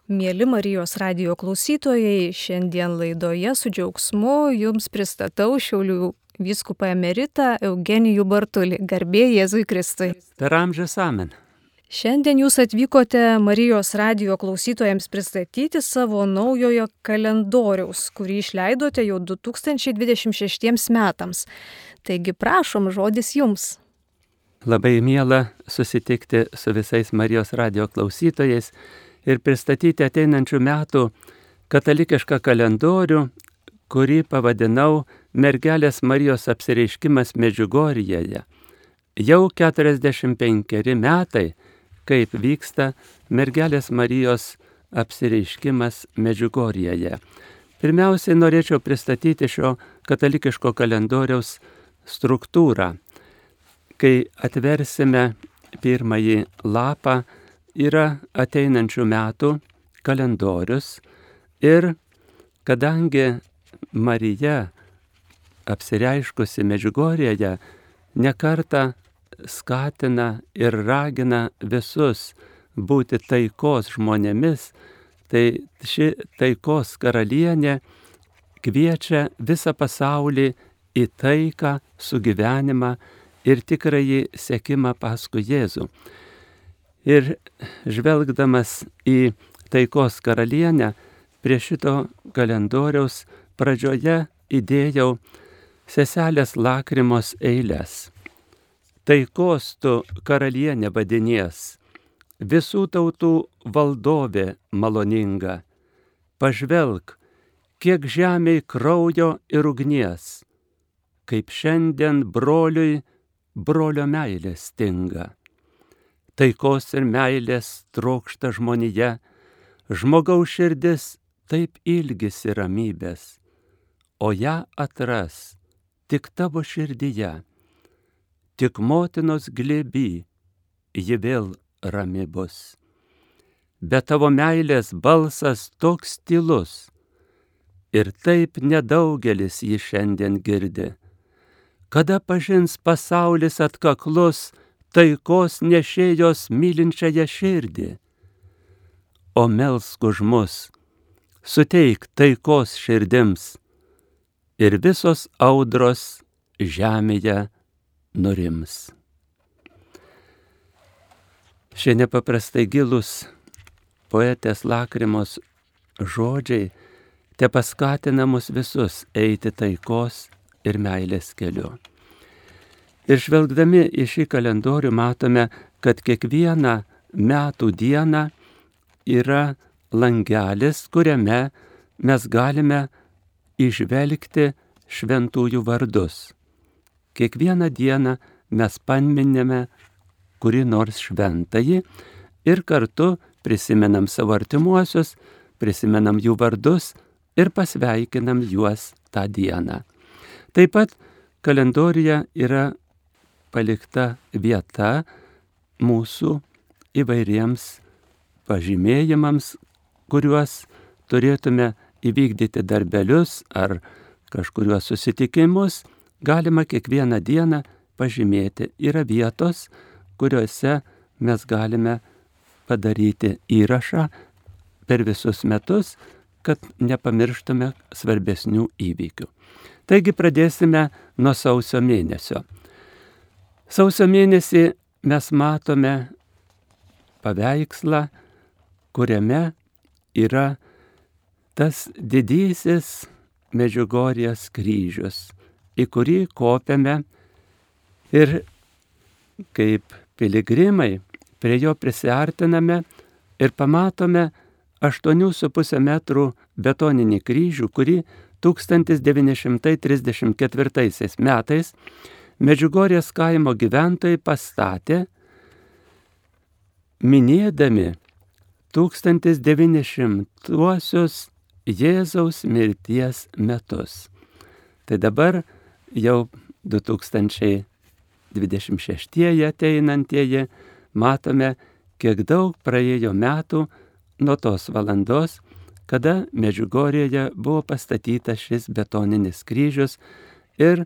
Mieli Marijos radijo klausytojai, šiandien laidoje su džiaugsmu jums pristatau Šiaulių vyskupą emeritą Eugenijų Bartulį. Garbė Jėzui Kristui. Per amžius amen. Šiandien jūs atvykote Marijos radijo klausytojams pristatyti savo naujojo kalendoriaus, kurį išleidote jau 2026 metams. Taigi prašom, žodis jums. Labai miela susitikti su visais Marijos radijo klausytojais ir pristatyti ateinančių metų katalikišką kalendorių, kurį pavadinau Mergelės Marijos apsireiškimas Medžiugorjėje. Jau 45 metai, kaip vyksta Mergelės Marijos apsireiškimas Medžiugorjėje. Pirmiausiai norėčiau pristatyti šio katalikiško kalendoriaus struktūrą. Kai atversime pirmąjį lapą, yra ateinančių metų kalendorius ir kadangi Marija apsireiškusi Medžiugorjėje nekartą skatina ir ragina visus būti taikos žmonėmis, tai ši taikos karalienė kviečia visą pasaulį į taiką, sugyvenimą ir tikrąjį sekimą paskui Jėzų. Ir žvelgdamas į taikos karalienę, prie šito kalendoriaus pradžioje įdėjau seselės Lakrimos eiles. Taikos tu karalienė vadinies, visų tautų valdovė maloninga. Pažvelk, kiek žemėj kraujo ir ugnies, kaip šiandien broliui brolio meilės stinga. Taikos ir meilės trokšta žmonija, žmogaus širdis taip ilgisi ramybės, o ją atras tik tavo širdyje, tik motinos glėby ji vėl rami bus. Bet tavo meilės balsas toks tylus, ir taip nedaugelis jį šiandien girdi. Kada pažins pasaulis atkaklus taikos nešėjos mylinčiąją širdį? O melsk už mus, suteik taikos širdims, ir visos audros žemėje nurims. Šie nepaprastai gilūs poetės Lakrimos žodžiai te paskatina mus visus eiti taikos ir meilės keliu. Ir žvelgdami į šį kalendorių matome, kad kiekvieną metų dieną yra langelis, kuriame mes galime įžvelgti šventųjų vardus. Kiekvieną dieną mes paminime kurį nors šventąjį ir kartu prisimenam savo artimuosius, prisimenam jų vardus ir pasveikinam juos tą dieną. Taip pat kalendoriuje yra palikta vieta mūsų įvairiems pažymėjimams, kuriuos turėtume įvykdyti darbelius ar kažkuriuos susitikimus, galima kiekvieną dieną pažymėti. Yra vietos, kuriuose mes galime padaryti įrašą per visus metus, kad nepamirštume svarbesnių įvykių. Taigi pradėsime nuo sausio mėnesio. Sausio mėnesį mes matome paveikslą, kuriame yra tas didysis Medžiugorjės kryžius, į kurį kopiame ir kaip piligrimai prie jo prisiartiname ir pamatome 8,5 metrų betoninį kryžių, kurį 1934 metais Medžiugorjės kaimo gyventojai pastatė, minėdami 1900-uosius Jėzaus mirties metus. Tai dabar jau 2026 ateinantieji matome, kiek daug praėjo metų nuo tos valandos, kada Medžiugorjėje buvo pastatytas šis betoninis kryžius ir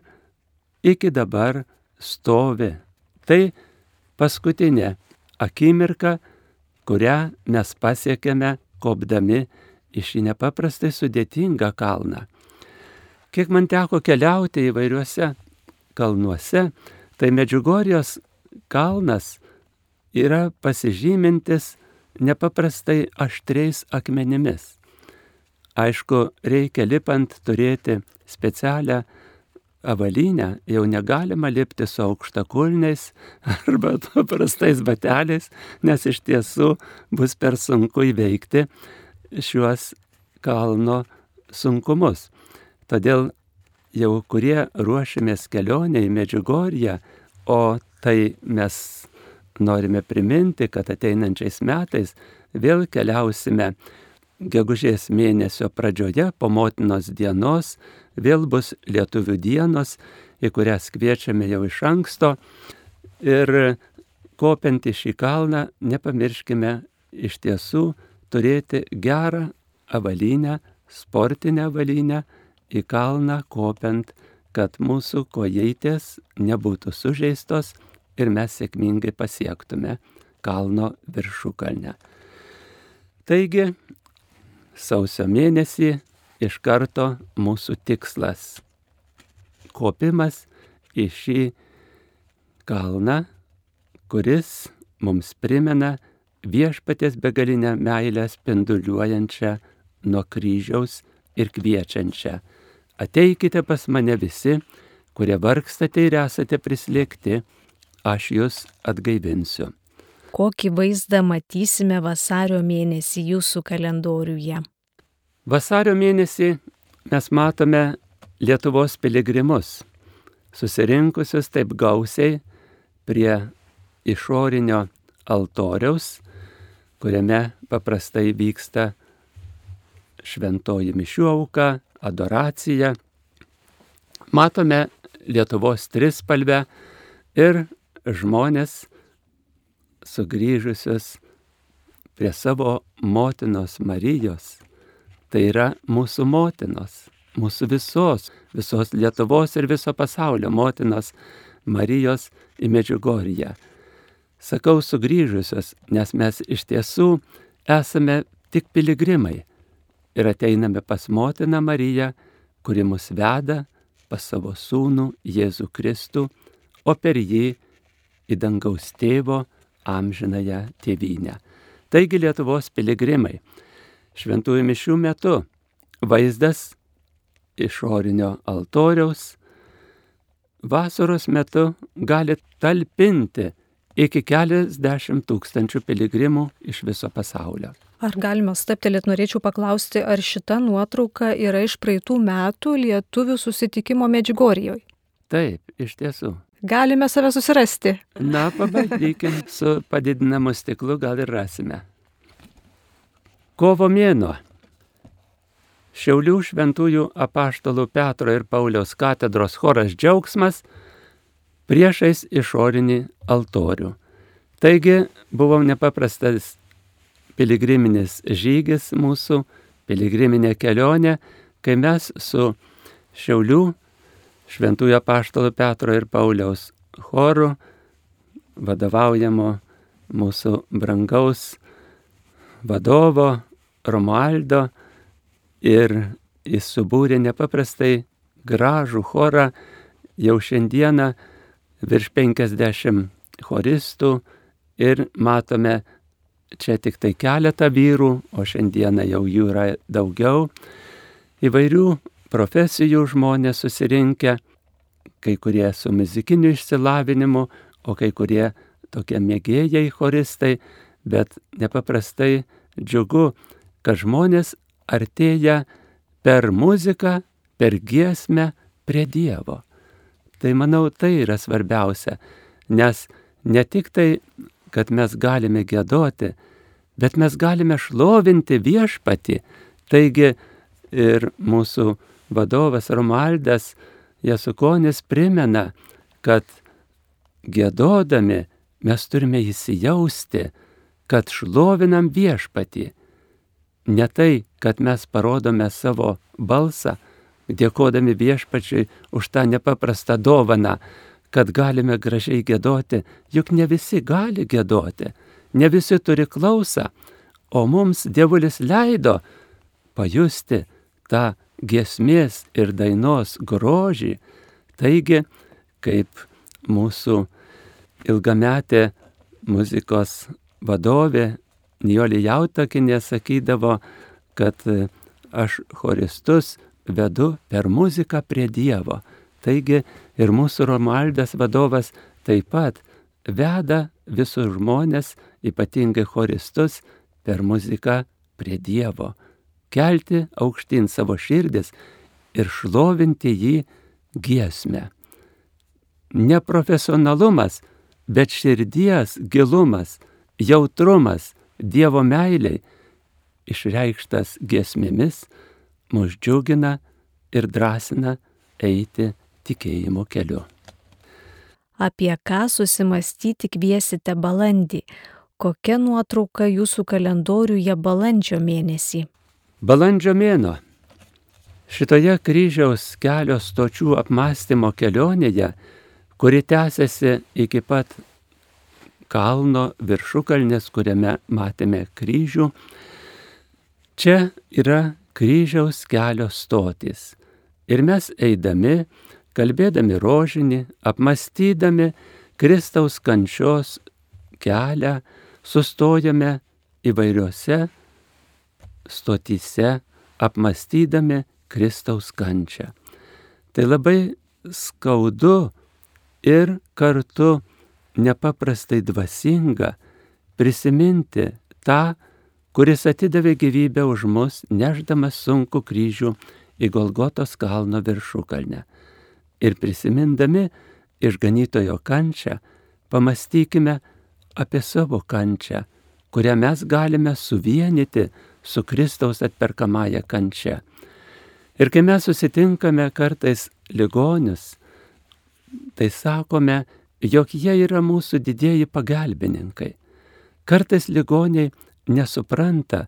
iki dabar stovi. Tai paskutinė akimirka, kurią mes pasiekėme kopdami į šį nepaprastai sudėtingą kalną. Kiek man teko keliauti įvairiuose kalnuose, tai Medžiugorjės kalnas yra pasižymintis nepaprastai aštriais akmenimis. Aišku, reikia lipant turėti specialią avalynę, jau negalima lipti su aukštakulniais arba paprastais bateliais, nes iš tiesų bus per sunku įveikti šiuos kalno sunkumus. Todėl jau kurie ruošiamės kelionę į Medžiugorję, o tai mes norime priminti, kad ateinančiais metais vėl keliausime gegužės mėnesio pradžioje po Motinos dienos, vėl bus Lietuvių dienos, į kurias kviečiame jau iš anksto. Ir kopiant į šį kalną nepamirškime iš tiesų turėti gerą avalynę, sportinę avalynę į kalną kopiant, kad mūsų kojytės nebūtų sužeistos ir mes sėkmingai pasiektume kalno viršukalnę. Taigi, sausio mėnesį iš karto mūsų tikslas – kopimas į šį kalną, kuris mums primena Viešpaties begalinę meilę spinduliuojančią nuo kryžiaus ir kviečiančią. Ateikite pas mane visi, kurie vargstate ir esate prislėgti, aš jūs atgaivinsiu. Kokį vaizdą matysime vasario mėnesį jūsų kalendoriuje? Vasario mėnesį mes matome Lietuvos piligrimus, susirinkusius taip gausiai prie išorinio altoriaus, kuriame paprastai vyksta šventoji mišių auka, adoracija. Matome Lietuvos trispalvę ir žmonės sugrįžusius prie savo motinos Marijos. Tai yra mūsų motinos, mūsų visos Lietuvos ir viso pasaulio motinos Marijos į Medžiugorję. Sakau sugrįžusios, nes mes iš tiesų esame tik piligrimai ir ateiname pas motiną Mariją, kuri mus veda pas savo sūnų Jėzų Kristų, o per jį į dangaus tėvo amžinąją tėvynę. Taigi Lietuvos piligrimai, šventųjų mišių metu vaizdas išorinio altoriaus vasaros metu gali talpinti iki keliasdešimt tūkstančių piligrimų iš viso pasaulio. Ar galima stabtelėti, norėčiau paklausti, ar šita nuotrauka yra iš praeitų metų lietuvių susitikimo Medžiugorjoj? Taip, iš tiesų. Galime save susirasti. Na, pabandykim, su padidinamu stiklu gal ir rasime. Kovo mėnuo. Šiaulių šventųjų apaštalų Petro ir Pauliaus katedros choras Džiaugsmas priešais išorinį altorių. Taigi buvo nepaprastas piligriminis žygis mūsų, piligriminė kelionė, kai mes su Šiaulių šventųjų apaštalų Petro ir Pauliaus choru, vadovaujamo mūsų brangaus vadovo Romualdo, ir jis subūrė nepaprastai gražų chorą, jau šiandieną virš 50 choristų ir matome čia tik tai keletą vyrų, o šiandieną jau jų yra daugiau. Įvairių profesijų žmonės susirinkę, kai kurie su muzikiniu išsilavinimu, o kai kurie tokie mėgėjai choristai, bet nepaprastai džiugu, kad žmonės artėja per muziką, per giesmę prie Dievo. Tai manau, tai yra svarbiausia, nes ne tik tai, kad mes galime giedoti, bet mes galime šlovinti Viešpatį. Taigi ir mūsų vadovas Romualdas Jasukonis primena, kad giedodami mes turime įsijausti, kad šlovinam Viešpatį. Ne tai, kad mes parodome savo balsą, dėkodami Viešpačiui už tą nepaprastą dovaną, kad galime gražiai giedoti, juk ne visi gali giedoti, ne visi turi klausą, o mums Dievulis leido pajusti tą giesmės ir dainos grožį. Taigi, kaip mūsų ilgametė muzikos vadovė Nijolė Jautakienė sakydavo, kad aš choristus vedu per muziką prie Dievo. Taigi ir mūsų Romualdas vadovas taip pat veda visus žmonės, ypatingai choristus, per muziką prie Dievo. Kelti aukštyn savo širdis ir šlovinti jį giesmę. Neprofesionalumas, bet širdies gilumas, jautrumas Dievo meiliai, išreikštas giesmėmis, mus džiugina ir drąsina eiti tikėjimo keliu. Apie ką susimastyti kviesite balandį? Kokia nuotrauka jūsų kalendoriuje balandžio mėnesį? Balandžio mėnuo. Šitoje kryžiaus kelio stočių apmąstymo kelionėje, kuri tęsiasi iki pat kalno viršukalnės, kuriame matėme kryžių, čia yra kryžiaus kelio stotys. Ir mes eidami, kalbėdami rožinį, apmąstydami Kristaus kančios kelią, sustojame įvairiose stotyse, apmąstydami Kristaus kančią. Tai labai skaudu ir kartu nepaprastai dvasinga prisiminti tą, kuris atidavė gyvybę už mus, nešdamas sunkų kryžių į Golgotos kalno viršukalnę. Ir prisimindami išganytojo kančią, pamastykime apie savo kančią, kurią mes galime suvienyti su Kristaus atperkamąja kančia. Ir kai mes susitinkame kartais ligonius, tai sakome, jog jie yra mūsų didieji pagalbininkai. Kartais ligoniai nesupranta,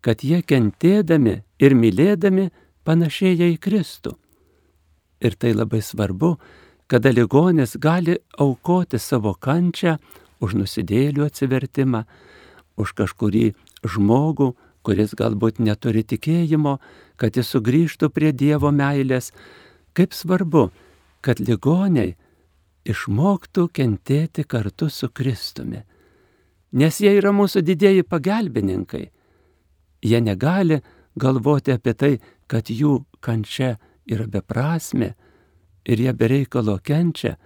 kad jie kentėdami ir mylėdami panašėja į Kristų. Ir tai labai svarbu, kada ligonis gali aukoti savo kančią už nusidėjėlių atsivertimą, už kažkurį žmogų, kuris galbūt neturi tikėjimo, kad jis sugrįžtų prie Dievo meilės. Kaip svarbu, kad ligoniai išmoktų kentėti kartu su Kristumi. Nes jie yra mūsų didieji pagalbininkai. Jie negali galvoti apie tai, kad jų kančia yra beprasmė ir jie bereikalo kenčia,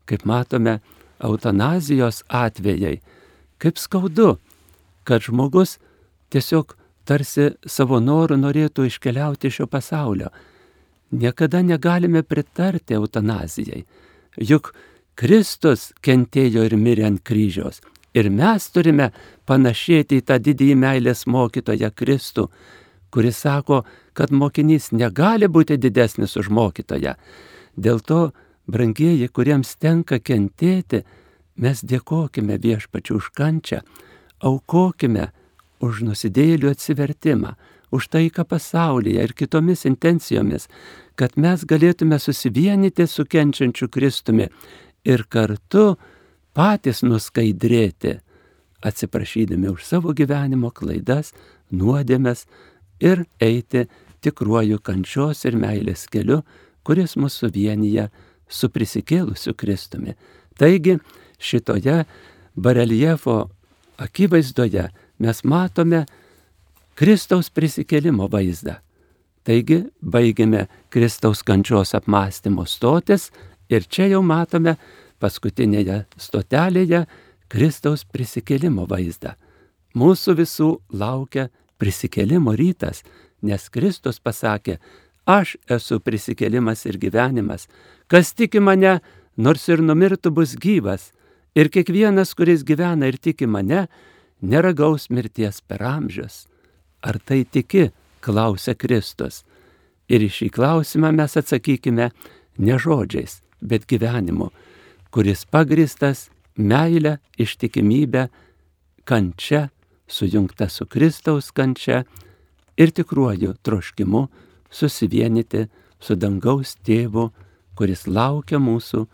kaip matome eutanazijos atvejai. Kaip skaudu, kad žmogus tiesiog tarsi savo noru norėtų iškeliauti iš šio pasaulio. Niekada negalime pritarti eutanazijai. Juk Kristus kentėjo ir mirė ant kryžiaus. Ir mes turime panašėti į tą didįjį meilės mokytoją Kristų, kuris sako, kad mokinys negali būti didesnis už mokytoją. Dėl to, brangieji, kuriems tenka kentėti, mes dėkokime Viešpačiui už kančią, aukokime už nusidėjėlių atsivertimą, už taiką pasaulyje ir kitomis intencijomis, kad mes galėtume susivienyti su kenčiančiu Kristumi ir kartu patys nuskaidrėti, atsiprašydami už savo gyvenimo klaidas, nuodėmes ir eiti tikruoju kančios ir meilės keliu, kuris mus suvienyje su prisikėlusiu Kristumi. Taigi šitoje bareljefo akivaizdoje mes matome Kristaus prisikėlimo vaizdą. Taigi baigėme Kristaus kančios apmąstymo stotis ir čia jau matome paskutinėje stotelėje Kristaus prisikėlimo vaizdą. Mūsų visų laukia prisikėlimo rytas, nes Kristus pasakė, aš esu prisikėlimas ir gyvenimas. Kas tiki mane, nors ir numirtų, bus gyvas. Ir kiekvienas, kuris gyvena ir tiki mane, neragaus mirties per amžius. Ar tai tiki, klausia Kristus. Ir į šį klausimą mes atsakykime ne žodžiais, bet gyvenimu, kuris pagristas meilę, ištikimybę, kančia, sujungta su Kristaus kančia ir tikruoju troškimu susivienyti su dangaus tėvu, kuris laukia mūsų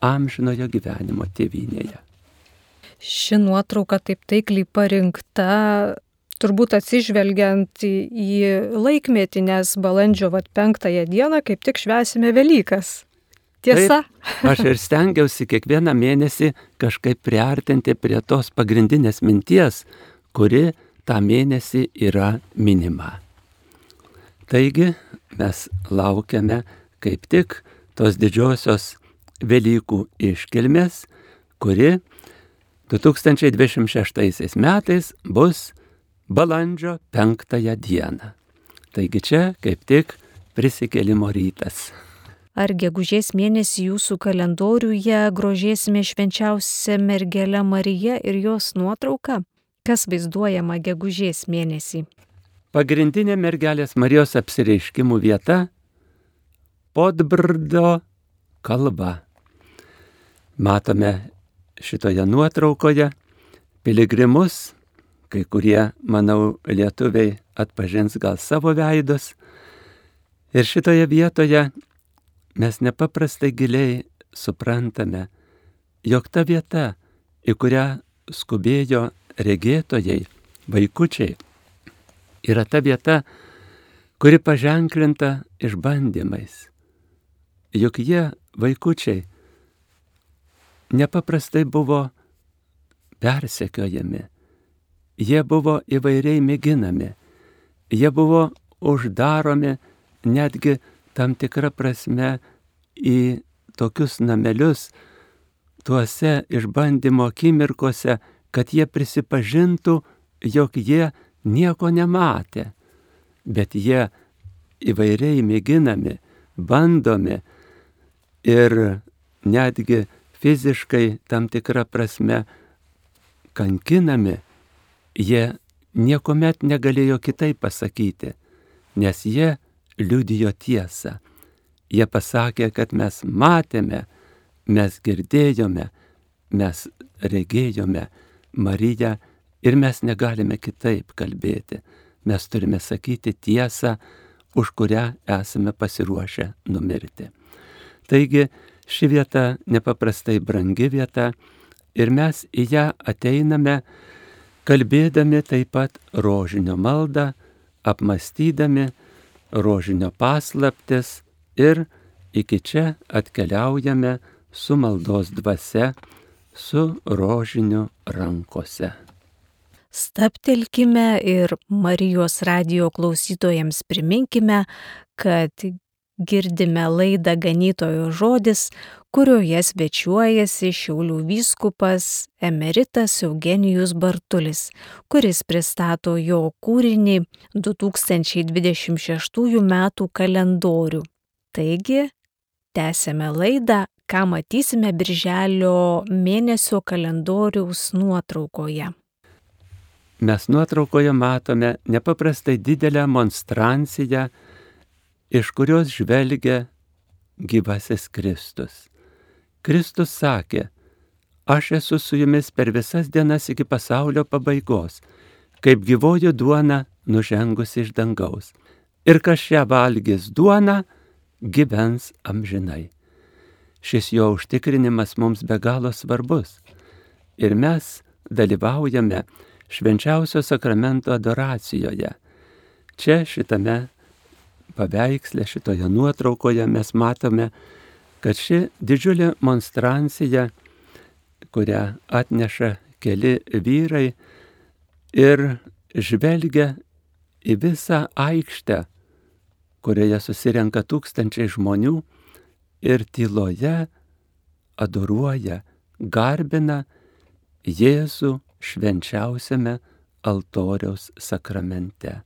amžinojo gyvenimo tėvynėje. Ši nuotrauka taip taikliai parinkta turbūt atsižvelgiant į laikmetį, nes balandžio 5 dieną kaip tik švęsime Velykas. Tiesa? Taip, aš ir stengiausi kiekvieną mėnesį kažkaip priartinti prie tos pagrindinės minties, kuri tą mėnesį yra minima. Taigi mes laukiame kaip tik tos didžiosios Velykų iškilmės, kuri 2026 metais bus balandžio 5 dieną. Taigi čia kaip tik prisikėlimo rytas. Ar gegužės mėnesį jūsų kalendoriuje grožėsime švenčiausią mergelę Mariją ir jos nuotrauką? Kas vaizduojama gegužės mėnesį? Pagrindinė mergelės Marijos apsireiškimų vieta - Podbrdo kalva. Matome šitoje nuotraukoje piligrimus, kai kurie, manau, lietuviai atpažins gal savo veidus. Ir šitoje vietoje mes nepaprastai giliai suprantame, jog ta vieta, į kurią skubėjo regėtojai, vaikučiai, yra ta vieta, kuri paženklinta išbandymais. Juk jie, vaikučiai, nepaprastai buvo persekiojami, jie buvo įvairiai mėginami, jie buvo uždaromi netgi tam tikrą prasme į tokius namelius, tuose išbandymo akimirkose, kad jie prisipažintų, jog jie nieko nematė, bet jie įvairiai mėginami, bandomi ir netgi fiziškai tam tikrą prasme kankinami, jie niekuomet negalėjo kitaip pasakyti, nes jie liudijo tiesą. Jie pasakė, kad mes matėme, mes girdėjome, mes regėjome Mariją ir mes negalime kitaip kalbėti. Mes turime sakyti tiesą, už kurią esame pasiruošę numirti. Taigi, ši vieta nepaprastai brangi vieta ir mes į ją ateiname, kalbėdami taip pat rožinio maldą, apmąstydami rožinio paslaptis ir iki čia atkeliaujame su maldos dvasia, su rožiniu rankose. Stabtelkime ir Marijos radijo klausytojams priminkime, kad girdime laidą Ganytojo žodis, kurioje svečiuojasi Šiaulių vyskupas emeritas Eugenijus Bartulis, kuris pristato jo kūrinį 2026 metų kalendorių. Taigi, tęsėme laidą, ką matysime birželio mėnesio kalendoriaus nuotraukoje. Mes nuotraukoje matome nepaprastai didelę monstranciją, iš kurios žvelgia gyvasis Kristus. Kristus sakė, aš esu su jumis per visas dienas iki pasaulio pabaigos, kaip gyvoji duona nužengusi iš dangaus. Ir kas šią valgys duoną, gyvens amžinai. Šis jo užtikrinimas mums be galo svarbus. Ir mes dalyvaujame švenčiausio sakramento adoracijoje. Čia šitame paveiksle, šitoje nuotraukoje mes matome, kad ši didžiulė monstrancija, kurią atneša keli vyrai ir žvelgia į visą aikštę, kurioje susirenka tūkstančiai žmonių ir tyloje adoruoja, garbina Jėzų švenčiausiame altoriaus sakramente.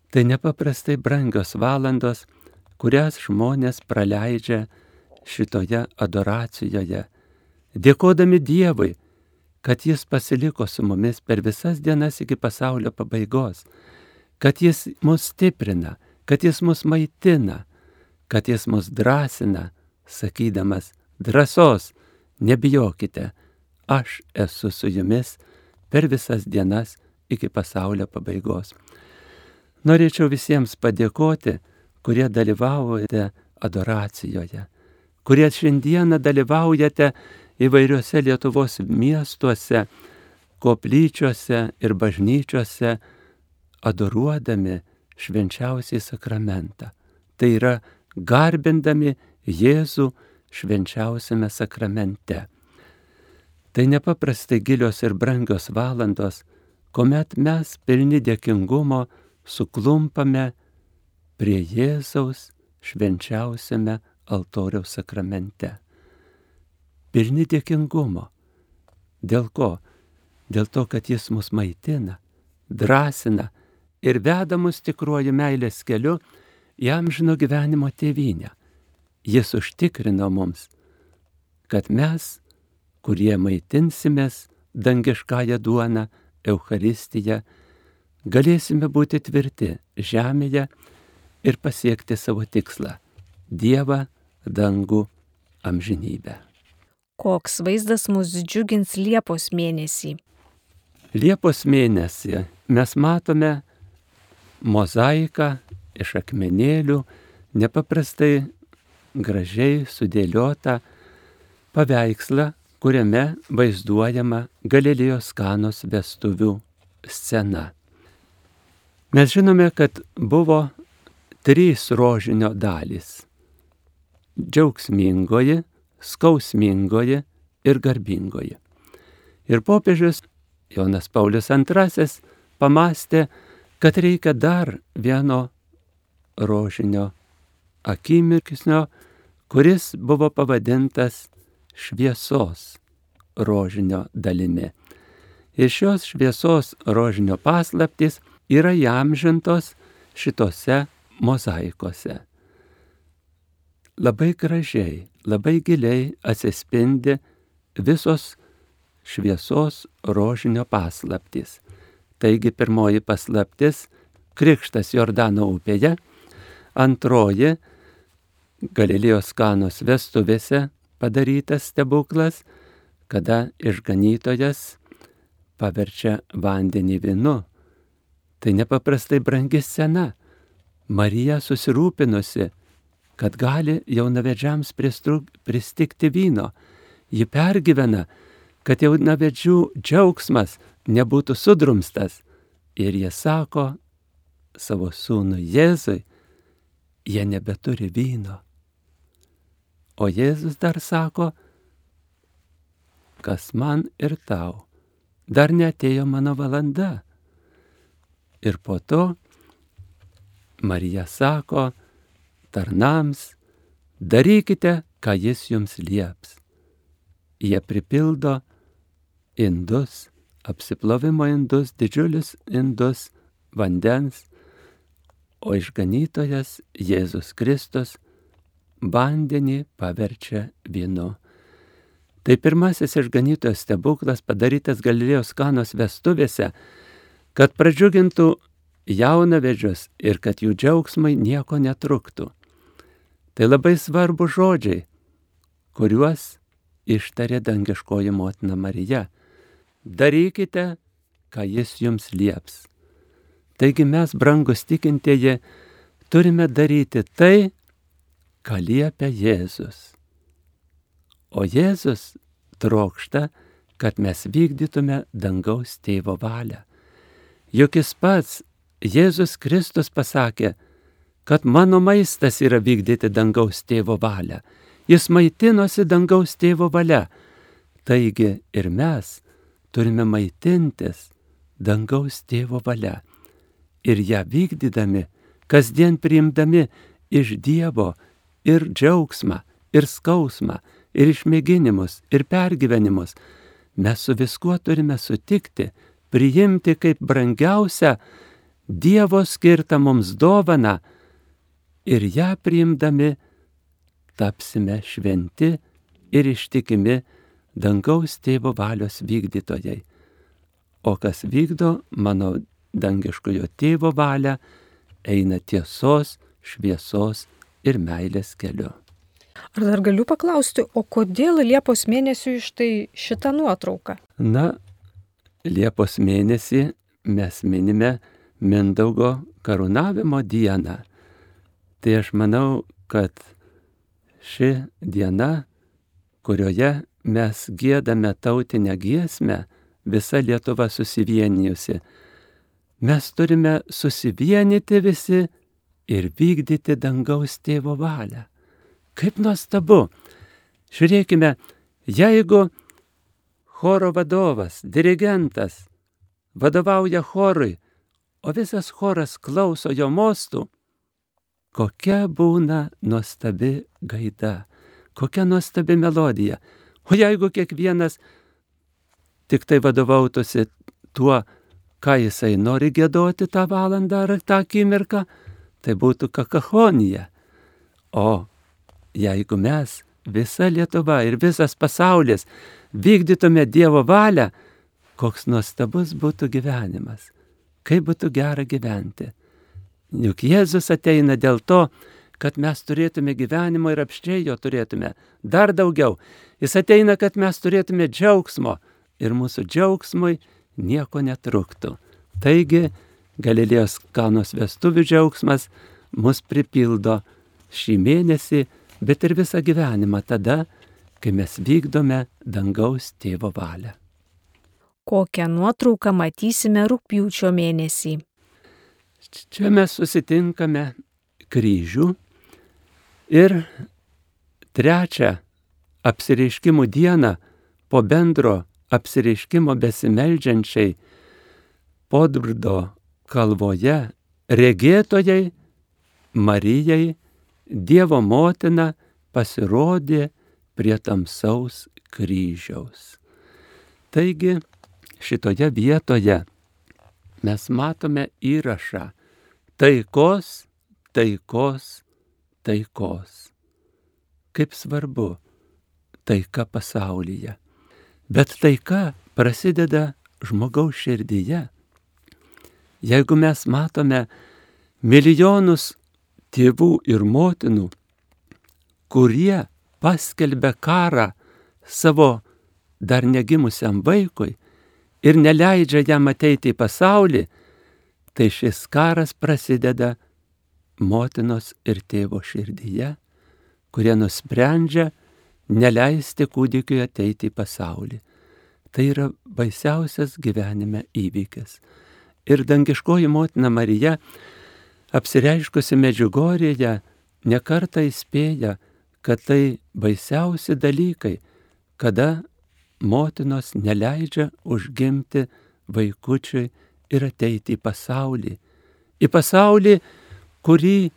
Tai nepaprastai brangios valandos, kurias žmonės praleidžia šitoje adoracijoje, dėkodami Dievui, kad Jis pasiliko su mumis per visas dienas iki pasaulio pabaigos, kad Jis mus stiprina, kad Jis mus maitina, kad Jis mus drąsina, sakydamas, drąsos, nebijokite, aš esu su jumis per visas dienas iki pasaulio pabaigos. Norėčiau visiems padėkoti, kurie dalyvaujate adoracijoje, kurie šiandieną dalyvaujate įvairiuose Lietuvos miestuose, koplyčiose ir bažnyčiose adoruodami švenčiausiai sakramentą. Tai yra garbindami Jėzų švenčiausiame sakramente. Tai nepaprastai gilios ir brangios valandos, kuomet mes pilni dėkingumo suklumpame prie Jėzaus švenčiausiame altoriaus sakramente. Pilni dėkingumo. Dėl ko? Dėl to, kad Jis mus maitina, drąsina ir veda mus tikruoju meilės keliu į amžino gyvenimo tėvynę. Jis užtikrino mums, kad mes, kurie maitinsimės dangiškąją duoną, Eucharistiją, galėsime būti tvirti žemėje ir pasiekti savo tikslą – Dievą, dangų, amžinybę. Koks vaizdas mus džiugins Liepos mėnesį? Liepos mėnesį mes matome mozaiką iš akmenėlių, nepaprastai gražiai sudėliotą paveikslą, kuriame vaizduojama Galilėjos Kanos vestuvių scena. Mes žinome, kad buvo 3 rožinio dalys – džiaugsmingoji, skausmingoji ir garbingoji. Ir popiežius Jonas Paulius II pamastė, kad reikia dar vieno rožinio akimirksnio, kuris buvo pavadintas šviesos rožinio dalimi. Ir šios šviesos rožinio paslaptys yra įamžintos šitose mozaikose. Labai gražiai, labai giliai atsispindi visos šviesos rožinio paslaptys. Taigi pirmoji paslaptis – krikštas Jordano upėje, antroji – Galilėjos Kanos vestuvėse padarytas stebuklas, kada išganytojas paverčia vandenį vynu. Tai nepaprastai brangi scena. Marija susirūpinusi, kad gali jaunavedžiams pristigti vyno. Ji pergyvena, kad jaunavedžių džiaugsmas nebūtų sudrumstas. Ir jie sako savo sūnui Jėzui, jie nebeturi vyno. O Jėzus dar sako, kas man ir tau, dar neatėjo mano valanda. Ir po to Marija sako tarnams, darykite, ką Jis jums lieps. Jie pripildo indus, apsiplovimo indus, didžiulius indus vandens, o išganytojas Jėzus Kristus vandenį paverčia vynu. Tai pirmasis išganytojo stebuklas padarytas Galilėjos Kanos vestuvėse, kad pradžiugintų jaunavedžius ir kad jų džiaugsmai nieko netruktų. Tai labai svarbu žodžiai, kuriuos ištarė dangiškoji motina Marija. Darykite, ką Jis jums lieps. Taigi mes, brangus tikintieji, turime daryti tai, ką liepia Jėzus. O Jėzus trokšta, kad mes vykdytume dangaus tėvo valią. Juk Jis pats, Jėzus Kristus, pasakė, kad mano maistas yra vykdyti dangaus tėvo valią. Jis maitinosi dangaus tėvo valia. Taigi ir mes turime maitintis dangaus tėvo valia. Ir ją vykdydami, kasdien priimdami iš Dievo ir džiaugsmą, ir skausmą, ir išmėginimus, ir pergyvenimus, mes su viskuo turime sutikti, priimti kaip brangiausią Dievo skirtą mums dovaną ir ją priimdami tapsime šventi ir ištikimi dangaus tėvo valios vykdytojai. O kas vykdo mano dangiškojo tėvo valią, eina tiesos, šviesos ir meilės keliu. Ar dar galiu paklausti, o kodėl Liepos mėnesiui štai šitą nuotrauką? Na, Liepos mėnesį mes minime Mindaugo karūnavimo dieną. Tai aš manau, kad ši diena, kurioje mes giedame tautinę giesmę visa Lietuva susivienijusi. Mes turime susivienyti visi ir vykdyti dangaus tėvo valią. Kaip nuostabu! Žiūrėkime, jeigu choro vadovas, dirigentas vadovauja chorui, o visas choras klauso jo mostų, kokia būna nuostabi gaida, kokia nuostabi melodija. O jeigu kiekvienas tik tai vadovautųsi tuo, ką jisai nori giedoti tą valandą ar tą akimirką, tai būtų kakachonija. O jeigu mes, visa Lietuva ir visas pasaulis, vykdytume Dievo valią, koks nuostabus būtų gyvenimas, kaip būtų gera gyventi. Juk Jėzus ateina dėl to, kad mes turėtume gyvenimo ir apščiai jo turėtume dar daugiau. Jis ateina, kad mes turėtume džiaugsmo ir mūsų džiaugsmui nieko netruktų. Taigi, Galilėjos Kanos vestuvių džiaugsmas mus pripildo šį mėnesį, bet ir visą gyvenimą tada, kai mes vykdome dangaus tėvo valią. Kokią nuotrauką matysime rugpjūčio mėnesį? Čia mes susitinkame kryžių ir trečią apsireiškimų dieną po bendro apsireiškimo besimeldžiančiai Podbrdo kalvoje regėtojai Marijai Dievo motina pasirodė prie tamsaus kryžiaus. Taigi šitoje vietoje mes matome įrašą taikos, taikos, taikos. Kaip svarbu taika pasaulyje. Bet taika prasideda žmogaus širdyje. Jeigu mes matome milijonus tėvų ir motinų, kurie paskelbia karą savo dar negimusiam vaikui ir neleidžia jam ateiti į pasaulį, tai šis karas prasideda motinos ir tėvo širdyje, kurie nusprendžia neleisti kūdikiui ateiti į pasaulį. Tai yra baisiausias gyvenime įvykis. Ir dangiškoji motina Marija, apsireiškusi Medžiugorjėje, nekartą įspėja, kad tai baisiausi dalykai, kada motinos neleidžia užgimti vaikučiui ir ateiti į pasaulį. Į pasaulį, kurį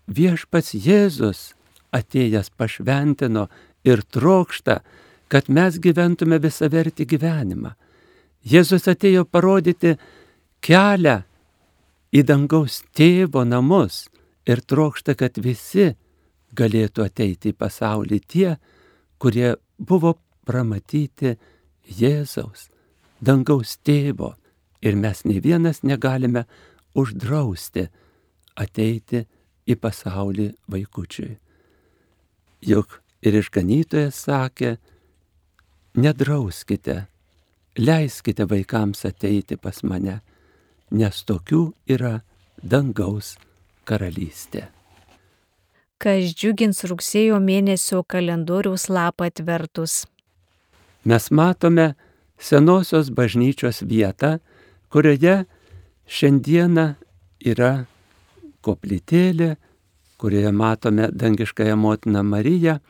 viešpats Jėzus atėjęs pašventino ir trokšta, kad mes gyventume visavertį gyvenimą. Jėzus atėjo parodyti kelią į dangaus tėvo namus ir trokšta, kad visi galėtų ateiti į pasaulį tie, kurie buvo pramatyti Jėzaus, dangaus tėvo. Ir mes nei vienas negalime uždrausti ateiti į pasaulį vaikučiui. Juk ir išganytojas sakė, nedrauskite, leiskite vaikams ateiti pas mane, nes tokių yra dangaus karalystė. Kas džiugins rugsėjo mėnesio kalendoriaus lapą atvertus? Mes matome senosios bažnyčios vietą, kurioje šiandieną yra koplytėlė, kurioje matome dangiškąją motiną Mariją,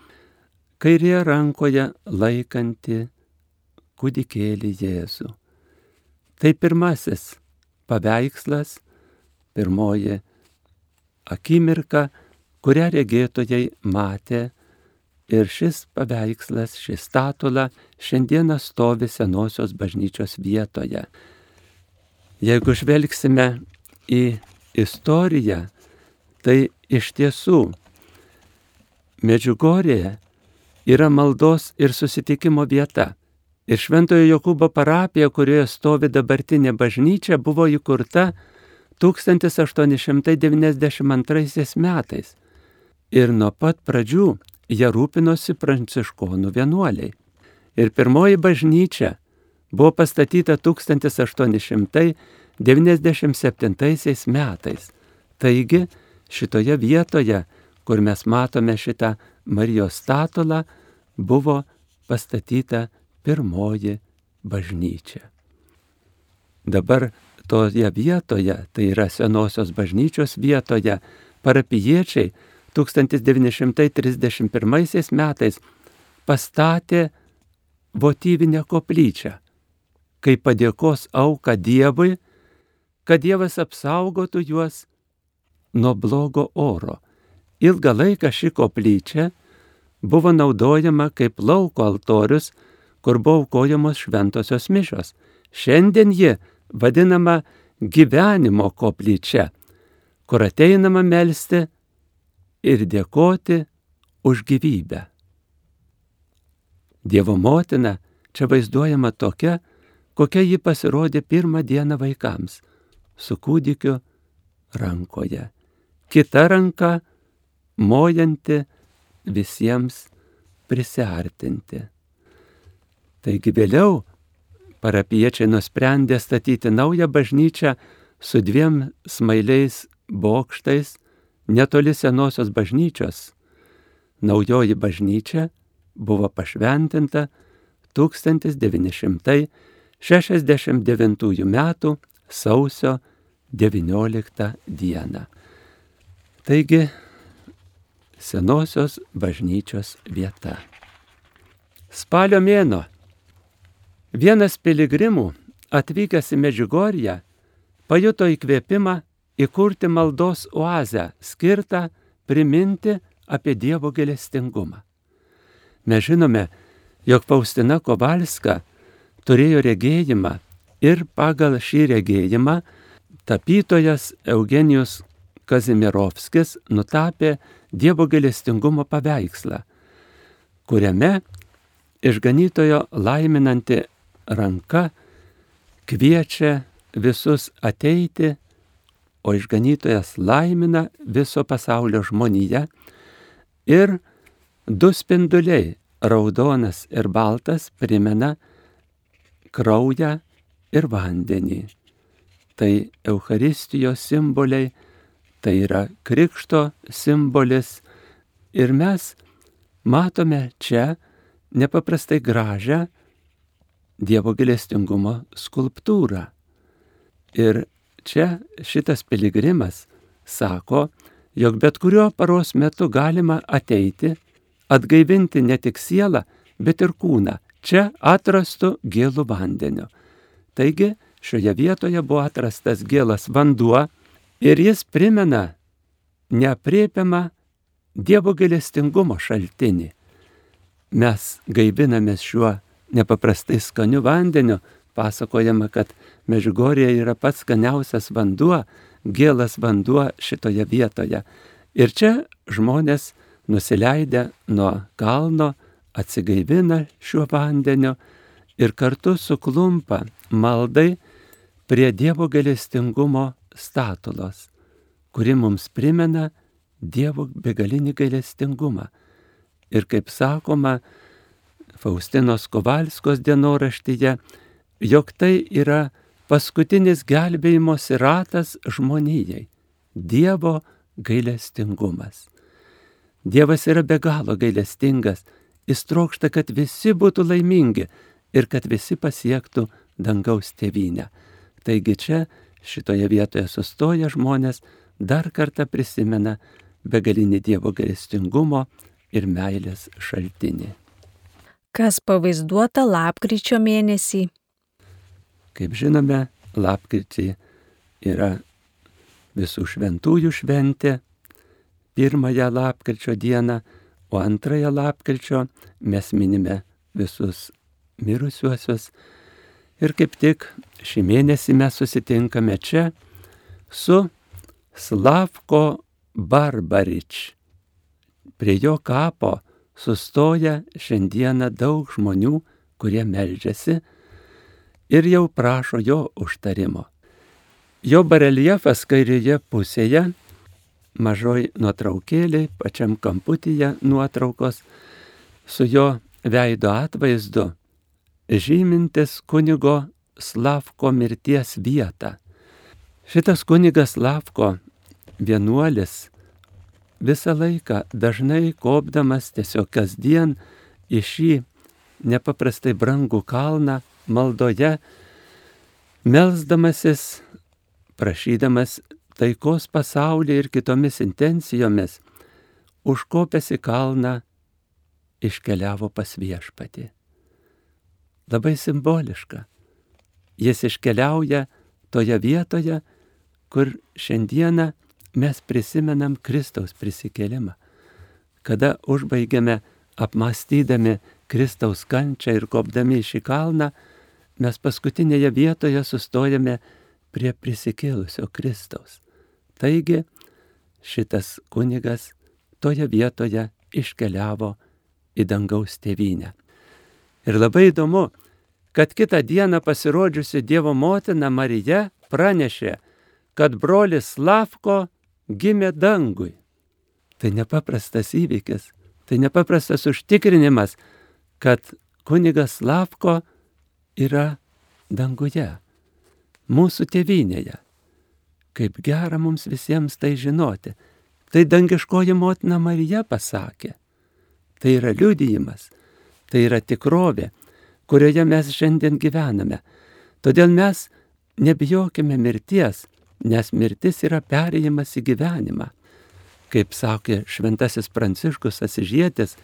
kairėje rankoje laikanti kūdikėlį Jėzų. Tai pirmasis paveikslas, pirmoji akimirka, kurią regėtojai matė, ir šis paveikslas, ši statula šiandieną stovi senosios bažnyčios vietoje. Jeigu žvelgsime į istoriją, tai iš tiesų Medžiugorjė yra maldos ir susitikimo vieta. Ir Šventojo Jokūbo parapija, kurioje stovi dabartinė bažnyčia, buvo įkurta 1892 metais. Ir nuo pat pradžių ją rūpinosi pranciškonų vienuoliai. Ir pirmoji bažnyčia buvo pastatyta 1897 metais. Taigi, šitoje vietoje, kur mes matome šitą Marijos statulą, buvo pastatyta pirmoji bažnyčia. dabar toje vietoje, tai yra senosios bažnyčios vietoje, parapijiečiai 1931 metais pastatė votyvinę koplyčią, kaip padėkos auką Dievui, kad Dievas apsaugotų juos nuo blogo oro. Ilgą laiką ši koplyčia buvo naudojama kaip lauko altorius, kur buvo aukojamos šventosios mišios. Šiandien ji vadinama gyvenimo koplyčia, kur ateinama melsti ir dėkoti už gyvybę. Dievo motina čia vaizduojama tokia, kokia ji pasirodė pirmą dieną vaikams, su kūdikiu rankoje. Kita ranka mojanti visiems prisiartinti. Taigi vėliau parapijiečiai nusprendė statyti naują bažnyčią su 2 smailiais bokštais netoli senosios bažnyčios. Naujoji bažnyčia buvo pašventinta 1969 m. sausio 19 dieną. Taigi, senosios bažnyčios vieta. Spalio mėnuo. Vienas piligrimų, atvykęs į Medžiugorję, pajuto įkvėpimą įkurti maldos oazę, skirtą priminti apie Dievo gailestingumą. Mes žinome, jog Faustina Kovalska turėjo regėjimą ir pagal šį regėjimą tapytojas Eugenijus Kazimierovskis nutapė Dievo gailestingumo paveikslą, kuriame išganytojo laiminanti ranka kviečia visus ateiti, o išganytojas laimina viso pasaulio žmoniją ir 2 spinduliai, raudonas ir baltas, primena kraują ir vandenį. Tai Eucharistijos simboliai, tai yra krikšto simbolis ir mes matome čia nepaprastai gražią Dievo gailestingumo skulptūrą. Ir čia šitas piligrimas sako, jog bet kuriuo paros metu galima ateiti, atgaivinti ne tik sielą, bet ir kūną, čia atrastu gėlų vandeniu. Taigi šioje vietoje buvo atrastas gėlas vanduo ir jis primena neaprėpiamą Dievo gailestingumo šaltinį. Mes gaivinamės šiuo nepaprastai skaniu vandeniu, pasakojama, kad Medžiugorėje yra pats skaniausias vanduo, gėlas vanduo šitoje vietoje. Ir čia žmonės nusileidę nuo kalno atsigaivina šiuo vandeniu ir kartu suklumpa maldai prie Dievo gailestingumo statulos, kuri mums primena Dievo begalinį gailestingumą. Ir kaip sakoma Faustinos Kovalskos dienoraštyje, jog tai yra paskutinis gelbėjimosi ratas žmonijai – Dievo gailestingumas. Dievas yra be galo gailestingas, jis trokšta, kad visi būtų laimingi ir kad visi pasiektų dangaus tėvynę. Taigi čia, šitoje vietoje sustoję žmonės, dar kartą prisimena begalinį Dievo gailestingumo ir meilės šaltinį. Kas pavaizduota lapkričio mėnesį? Kaip žinome, lapkritį yra visų šventųjų šventė, 1 lapkričio dieną, o 2 lapkričio mes minime visus mirusiuosius. Ir kaip tik šį mėnesį mes susitinkame čia su Slavko Barbarič. Prie jo kapo sustoja šiandieną daug žmonių, kurie meldžiasi ir jau prašo jo užtarimo. Jo bareljefas kairėje pusėje, mažoj nuotraukėlė, pačiam kamputyje nuotraukos, su jo veido atvaizdu, žymintis kunigo Slavko mirties vietą. Šitas kunigas Slavko, vienuolis, visą laiką dažnai kopdamas tiesiog kasdien į šį nepaprastai brangų kalną maldoje, melsdamasis, prašydamas taikos pasaulyje ir kitomis intencijomis, užkopęs į kalną, iškeliavo pas Viešpatį. Labai simboliška. Jis iškeliauja toje vietoje, kur šiandieną mes prisimenam Kristaus prisikėlimą. Kada užbaigiame apmąstydami Kristaus kančią ir kopdami į šį kalną, mes paskutinėje vietoje sustojame prie prisikėlusio Kristaus. Taigi šitas kunigas toje vietoje iškeliavo į dangaus tėvynę. Ir labai įdomu, kad kitą dieną pasirodžiusi Dievo motina Marija pranešė, kad brolis Slavko gimė dangui. Tai nepaprastas įvykis, tai nepaprastas užtikrinimas, kad kunigas Slavko yra danguje, mūsų tėvynėje. Kaip gera mums visiems tai žinoti. Tai dangiškoji motina Marija pasakė. Tai yra liudijimas, tai yra tikrovė, kurioje mes šiandien gyvename. Todėl mes nebijokime mirties, nes mirtis yra perėjimas į gyvenimą. Kaip sakė šventasis Pranciškus Asyžietis,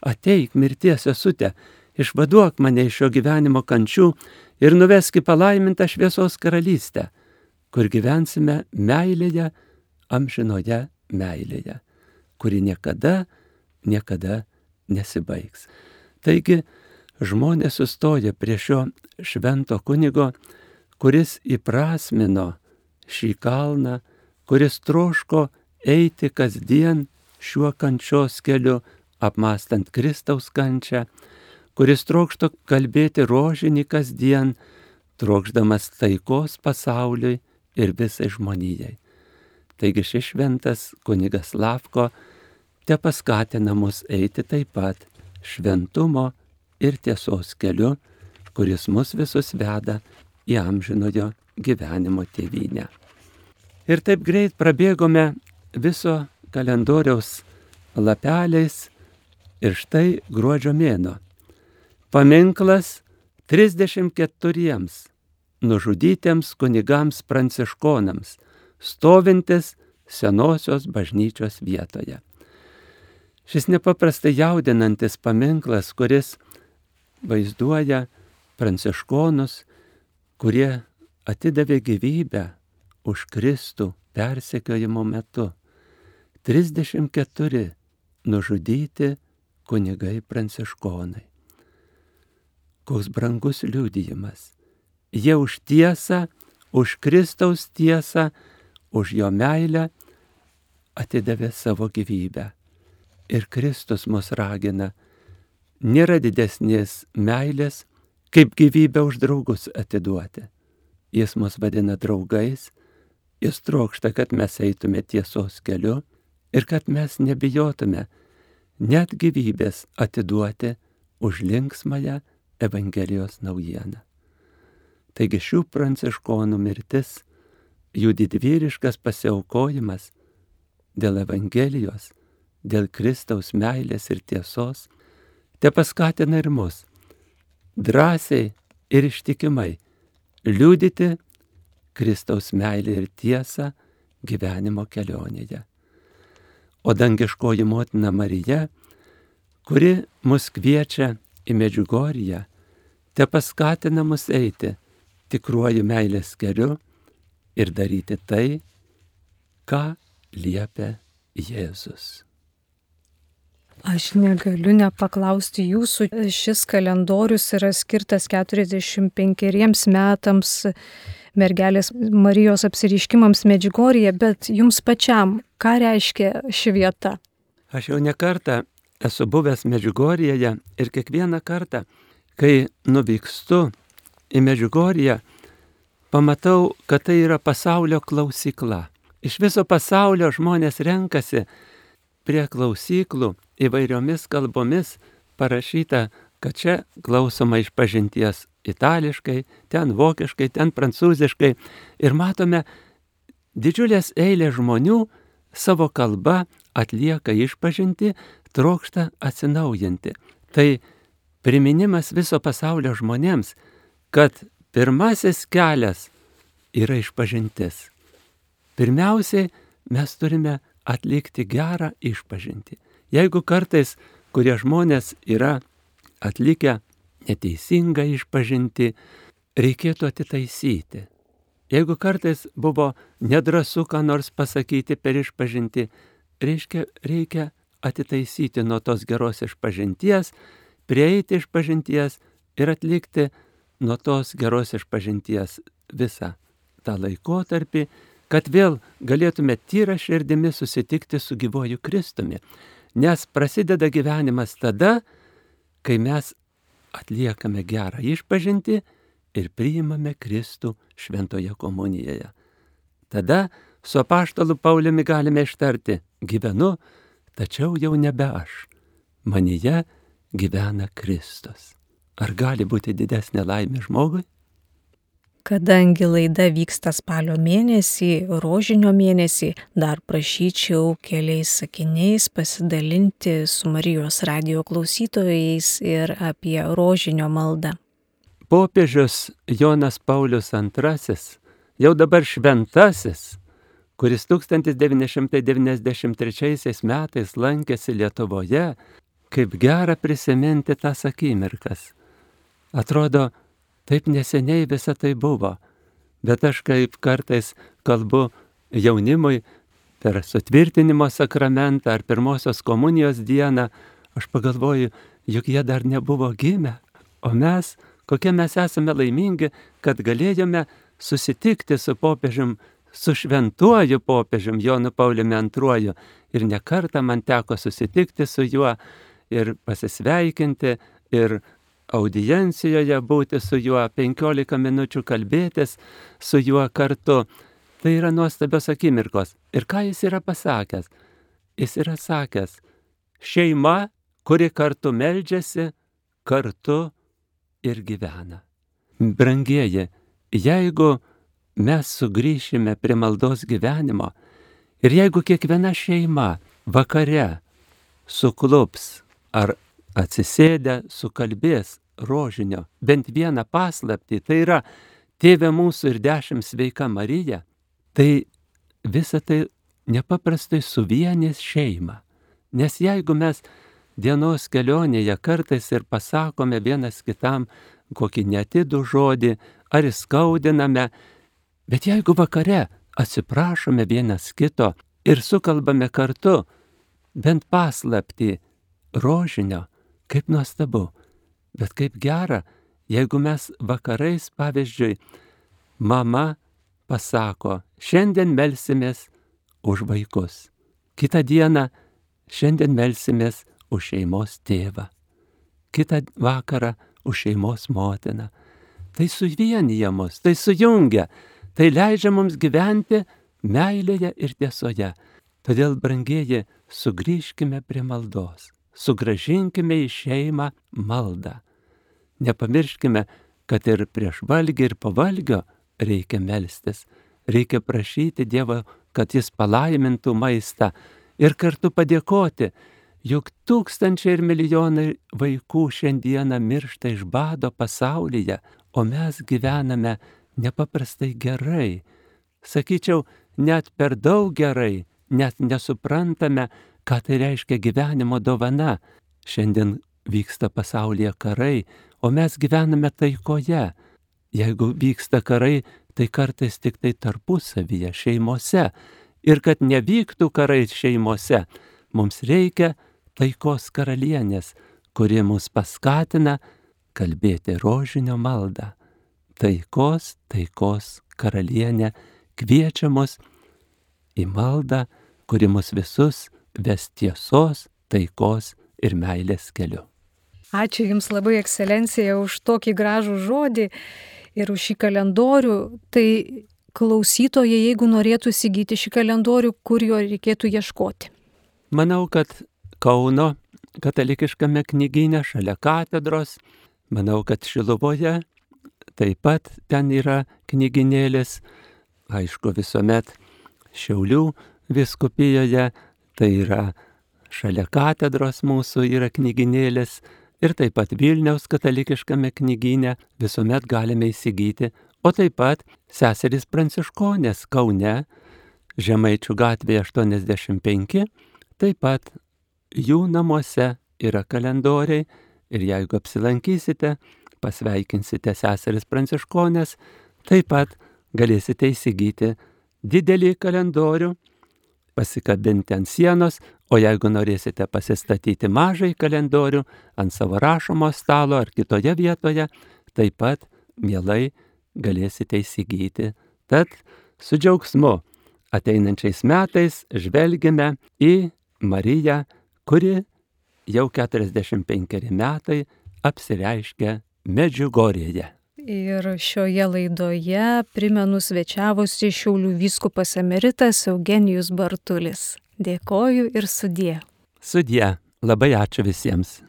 ateik mirties sesute, išvaduok mane iš šio gyvenimo kančių ir nuvesk į palaimintą šviesos karalystę, kur gyvensime meilėje, amžinoje meilėje, kuri niekada nesibaigs. Taigi žmonės sustoja prie šio švento kunigo, kuris įprasmino šį kalną, kuris troško eiti kasdien šiuo kančios keliu, apmąstant Kristaus kančią, kuris trokšto kalbėti rožinį kasdien, trokšdamas taikos pasauliui ir visai žmonijai. Taigi šis šventas kunigas Slavko te paskatina mus eiti taip pat šventumo ir tiesos keliu, kuris mus visus veda į amžinojo gyvenimo tėvynę. Ir taip greit prabėgome viso kalendoriaus lapeliais ir štai gruodžio mėnuo. Paminklas 34 nužudytiems kunigams pranciškonams, stovintis senosios bažnyčios vietoje. Šis nepaprastai jaudinantis paminklas, kuris vaizduoja pranciškonus, kurie atidavė gyvybę už Kristų persekiojimo metu. 34 nužudyti kunigai pranciškonai. Koks brangus liudijimas. Jie už tiesą, už Kristaus tiesą, už jo meilę atidavė savo gyvybę. Ir Kristus mus ragina, nėra didesnės meilės, kaip gyvybę už draugus atiduoti. Jis mus vadina draugais, jis trokšta, kad mes eitume tiesos keliu ir kad mes nebijotume net gyvybės atiduoti už linksmąją Evangelijos naujieną. Taigi šių pranciškonų mirtis, jų didvyriškas pasiaukojimas dėl Evangelijos, dėl Kristaus meilės ir tiesos, te paskatina ir mus drąsiai ir ištikimai liudyti Kristaus meilę ir tiesą gyvenimo kelionėje. O dangiškoji motina Marija, kuri mus kviečia į Medžiugorję, te paskatina mus eiti tikruoju meilės keliu ir daryti tai, ką liepia Jėzus. Aš negaliu nepaklausti jūsų, šis kalendorius yra skirtas 45 metams mergelės Marijos apsireiškimams Medžiugorjėje, bet jums pačiam, ką reiškia ši vieta? Aš jau ne kartą esu buvęs Medžiugorjėje ir kiekvieną kartą, kai nuvykstu į Medžiugorję, pamatau, kad tai yra pasaulio klausykla. Iš viso pasaulio žmonės renkasi prie klausyklų įvairiomis kalbomis parašyta, kad čia klausoma išpažinties itališkai, ten vokiškai, ten prancūziškai. Ir matome didžiulės eilės žmonių savo kalba atlieka išpažintį, trokšta atsinaujinti. Tai priminimas viso pasaulio žmonėms, kad pirmasis kelias yra išpažintis. Pirmiausiai mes turime atlikti gerą išpažintį. Jeigu kartais kurie žmonės yra atlikę neteisingą išpažintį, reikėtų atitaisyti. Jeigu kartais buvo nedrąsu ką nors pasakyti per išpažintį, reikia atitaisyti nuo tos geros išpažinties, prieiti išpažinties ir atlikti nuo tos geros išpažinties visą tą laikotarpį, kad vėl galėtume tyra širdimi susitikti su gyvuoju Kristumi. Nes prasideda gyvenimas tada, kai mes atliekame gerą išpažintį ir priimame Kristų šventoje komunijoje. Tada su apaštalu Pauliumi galime ištarti: gyvenu, tačiau jau nebe aš. Manyje gyvena Kristus. Ar gali būti didesnė laimė žmogui? Kadangi laida vyksta spalio mėnesį, rožinio mėnesį, dar prašyčiau keliais sakiniais pasidalinti su Marijos radijo klausytojais ir apie rožinio maldą. Popiežius Jonas Paulius II, jau dabar šventasis, kuris 1993 metais lankėsi Lietuvoje, kaip gera prisiminti tas akimirkas. Atrodo, taip neseniai visa tai buvo, bet aš kaip kartais kalbu jaunimui per sutvirtinimo sakramentą ar pirmosios komunijos dieną, aš pagalvoju, juk jie dar nebuvo gimę, o mes, kokie mes esame laimingi, kad galėjome susitikti su popiežium, su šventuoju popiežium Jonu Pauliumi II. Ir ne kartą man teko susitikti su juo ir pasisveikinti, ir audiencijoje būti su juo, 15 minučių kalbėtis su juo kartu. Tai yra nuostabios akimirkos. Ir ką jis yra pasakęs? Jis yra sakęs: šeima, kuri kartu meldžiasi, kartu ir gyvena. Brangieji, jeigu mes sugrįšime prie maldos gyvenimo ir jeigu kiekviena šeima vakare suklups ar atsisėdę sukalbės rožinio bent vieną paslaptį, tai yra Tėve mūsų ir 10 sveika Marija, tai visa tai nepaprastai suvienys šeimą. Nes jeigu mes dienos kelionėje kartais ir pasakome vienas kitam kokį netidų žodį ar įskaudiname, bet jeigu vakare atsiprašome vienas kito ir sukalbame kartu bent paslaptį rožinio, kaip nuostabu, bet kaip gera, jeigu mes vakarais, pavyzdžiui, mama pasako: šiandien melsimės už vaikus, kitą dieną šiandien melsimės už šeimos tėvą, kitą vakarą už šeimos motiną. Tai suvienyja mus, tai sujungia, tai leidžia mums gyventi meilėje ir tiesoje. Todėl, brangieji, sugrįžkime prie maldos, sugrąžinkime į šeimą maldą. Nepamirškime, kad ir prieš valgį ir po valgio reikia melstis, reikia prašyti Dievo, kad Jis palaimintų maistą ir kartu padėkoti, juk tūkstančiai ir milijonai vaikų šiandieną miršta iš bado pasaulyje, o mes gyvename nepaprastai gerai. Sakyčiau, net per daug gerai, net nesuprantame, ką tai reiškia gyvenimo dovana. Šiandien vyksta pasaulyje karai, o mes gyvename taikoje. Jeigu vyksta karai, tai kartais tik tai tarpusavyje, šeimose. Ir kad nevyktų karai šeimose, mums reikia taikos karalienės, kuri mus paskatina kalbėti rožinio maldą. Taikos karalienė kviečia mus į maldą, kuri mus visus ves tiesos, taikos ir meilės keliu. Ačiū Jums labai, ekscelencija, už tokį gražų žodį ir už šį kalendorių. Tai klausytojai, jeigu norėtų įsigyti šį kalendorių, kur jo reikėtų ieškoti? Manau, kad Kauno katalikiškame knygyne šalia katedros, manau, kad Šiluvoje taip pat ten yra knygynėlis, aišku, visuomet Šiaulių vyskupijoje, tai yra šalia katedros mūsų yra knygynėlis, ir taip pat Vilniaus katalikiškame knygyne visuomet galime įsigyti, o taip pat seserys pranciškonės Kaune, Žemaičių gatvėje 85, taip pat jų namuose yra kalendoriai ir jeigu apsilankysite, pasveikinsite seseris pranciškonės, taip pat galėsite įsigyti didelį kalendorių, pasikabinti ant sienos, o jeigu norėsite pasistatyti mažąjį kalendorių ant savo rašomo stalo ar kitoje vietoje, taip pat mielai galėsite įsigyti. Tad su džiaugsmu ateinančiais metais žvelgiame į Mariją, kuri jau 45 metai apsireiškia Medžiugorjėje. Ir šioje laidoje, primenu, svečiavosi Šiaulių vyskupas emeritas Eugenijus Bartulis. Dėkoju ir sudie. Sudie, labai ačiū visiems.